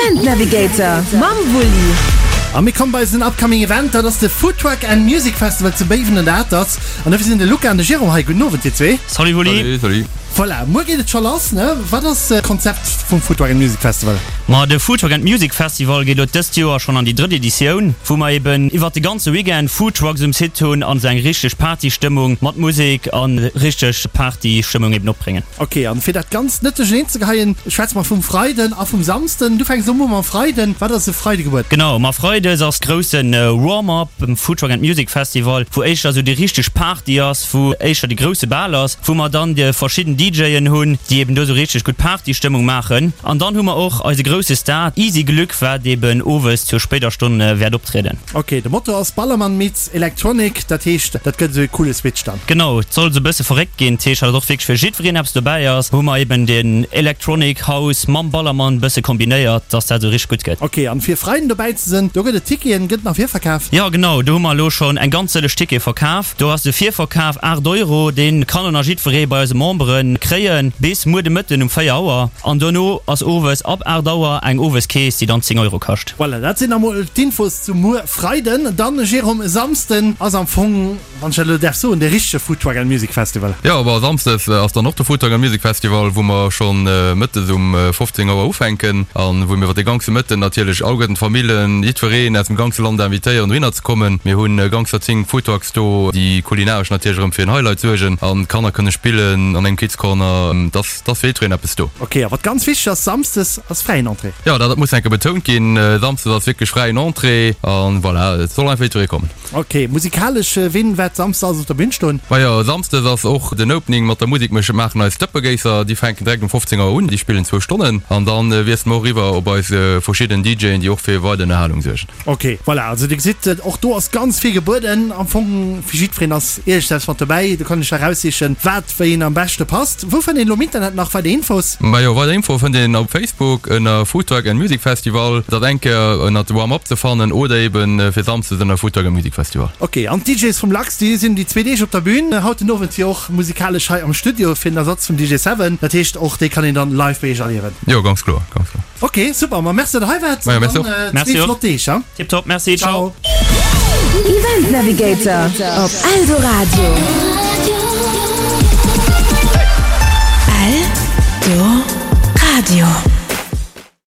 Event Navigator mam Wulli. A mir kommen bei eisen upcoming Event, dat ass de Food Truck and Music Festival zu Béiwen an der Atert. An dofir sinn de Luca an de Jérôme hei. Gudden Owend dir zwee. Salut Wulli. Salut, salut. Voilà, muer geet et scho lass, ne? Wat ass d'Konzept vum Food Truck and Music Festival? Ma de Food Truck and Music Festival geet elo dëst Joer schonn an déi drëtt Editioun, wou mer eben iwwert de ganze Weekend Food Trucks um Site hunn an esou eng richteg Partystëmmung mat Musek a richteg Partystëmmung eben opbréngen. Ok, an fir dat Ganzt net duercherneen ze geheien, schwätze mer vum Freiden a vum Samsden. Du fänks elo u mam Freiden. Wat ass e Freide gebueden? Genau, ma Freides ass grousse Warm-up um Food Truck and Music Festival, wou éischter esou déi richteg Party ass, wou éischter de grousse Bal ass, wou mer dann déi verschidden DJen hunn, déi eben do sou richteg gutt Partystëmmung maachen. An dann hu mer och eise grousse Star Easy Glück, wat eben owes zur spéider Stonn wäert optrieden. Ok, de Motto ass Ballermann meets Electronic, dat heescht dat gëtt esou e coole Switch dann. Genau, et soll sou e bësse verréckt ginn, dat heescht, datt och wierklech fir jiddwereen eppes dobäi ass, hu mer eben den Electronic House mam Ballermann bësse kombinéiert, datt dat esou richteg gutt gëtt. Ok, an fir Freiden dobäi ze sinn, do gëtt et Ticketen, gëtt nach virverkaf? Jo genau, do hu mer elo schonn eng ganz sëlleg Tickete verkaf. Do ass de Virverkaf 8 Euro, dee kann och nach jiddweree bei eise Membere kréien bis muer de Mëtten um 4 Auer. An dono ass owes ab 8 Auer eng Oweskeess, déi dann 10 Euro kascht. Voilà, dat sinn emol d'Infos zu muer Freiden. Dann, Jérôme, e Samsden ass am Fong, wann ech dat elo däerf soen, de richtege Food Truck and Music Festival. Jo, bon, Samsdes ass dann och de Food Truck and Music Festival, wou mer scho mëttes um 15 Auer ufänken a wou mir iwwer de ganze Mëtten natierlech alleguerten d'Famillen, jiddwereen aus dem ganze Land invitéieren, dohinner ze kommen. Mir hunn ganzer 10 Food Trucks do, déi kulinaresch natierlech erëm fir en Highlight suergen an d'Kanner kënne spillen an engem Kids Corner. Et ass, et ass fir jiddwereen eppes do. Ok, a wat ganz wichteg ass, Samsdes ass fräien Entrée. Jo, dat muss enke betount ginn, Samsdes ass wierklech fräien Entrée an voilà, et soll einfach jiddweree kommen. Ok, musikalesch, ween wäert Samsdes alles op der Bühn stoen? Majo, Samsdes ass och den Opening mat der Musik. Mir maachen eis Dëppegéisser, déi fänken direkt um 15 Auer un, déi spillen zwou Stonnen an dann wiessele mer och eriwwer op eis verschidden DJen, déi och fir weider Ënnerhalung suergen. Ok, voilà, also dir gesitt, och do ass ganz vill gebueden. Am Fong fir jiddwereen ass iergendepps mat dobäi. Do kann een sech eraussichen, wat wéi een am beschte passt. Wou fënnt een elo am Internet nach weider Infos? Majo, weider Infoe fënnt een op Facebook ënner Food Truck and Music Festival. Dat eng Kéier ënnert Warm Up ze fannen oder eben fir Samsdes ënner Food Truck and Music Festival. Ok, an d'DJs vum Lachs, déi sinn déi zwee Deeg op der Bühn. Haut den Owend jo och musikalesch hei am Studio fir den Ersatz vum DJ Seven. Dat heescht, och déi kann een dann live bei iech erliewen. Jo, ganz kloer, ganz kloer. Ok, super, ma merci dat der hei waart. Majo, merci och. Merci och. Flott Deeg, ha. Tiptop, merci, ciao. Event Navigator op Eldoradio. Eldoradio.